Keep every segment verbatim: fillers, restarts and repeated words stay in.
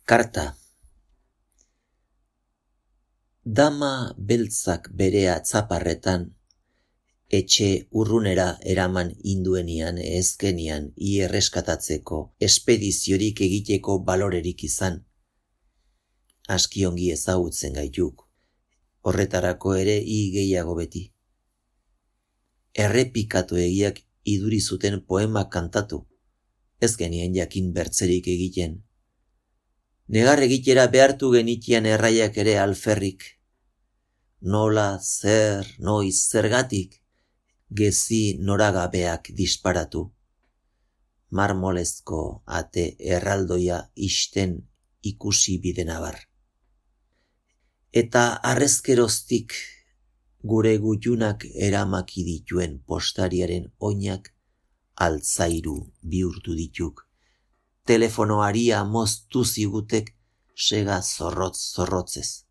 Karta. Dama beltzak bere atzaparretan, etxe urrunera eraman induenian ezkenian i erreskatatzeko espediziorik egiteko balorerik izan. Aski ongi ezagutzen gaituk, horretarako ere i gehiago beti. Errepikatu egiak iduri zuten poema kantatu, ez genien jakin bertzerik egiten. Negar egitera behartu genitian erraiak ere alferrik. Nola, zer, noiz, zergatik, gezi noragabeak disparatu. Marmolezko ate erraldoia isten ikusi bidenabar. Eta arrezkeroztik gure gutxunak eramaki dituen postariaren oinak altzairu bihurtu dituk. Telefonoaria moztu zigutek sega zorrotz zorrotzez.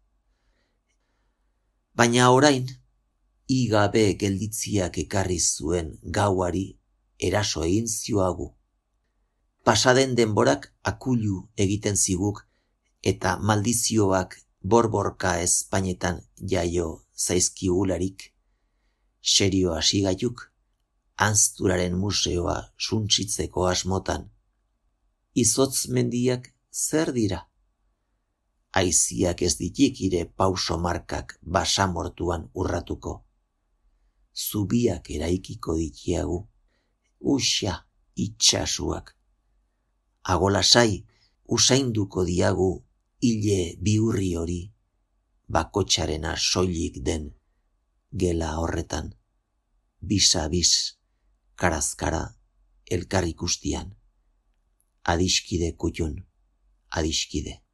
Baina orain, igabe gelditziak ekarri zuen gauari eraso egin zioagu. Pasaden denborak akulu egiten ziguk eta maldizioak borborka ezpainetan jaio zaizkigularik, serio hasi gaituk, Anzturaren museoa suntsitzeko asmotan. Izotz mendiak zer dira? Aiziak ez ditik ire pauso markak basamortuan urratuko. Zubiak eraikiko ditiagu, uxa itxasuak. Agolasai usainduko diagu hile biurri hori, bakotxarena soilik den gela horretan, bisa-bis, karazkara, elkar ikustian. Adiskide kutxun, adiskide.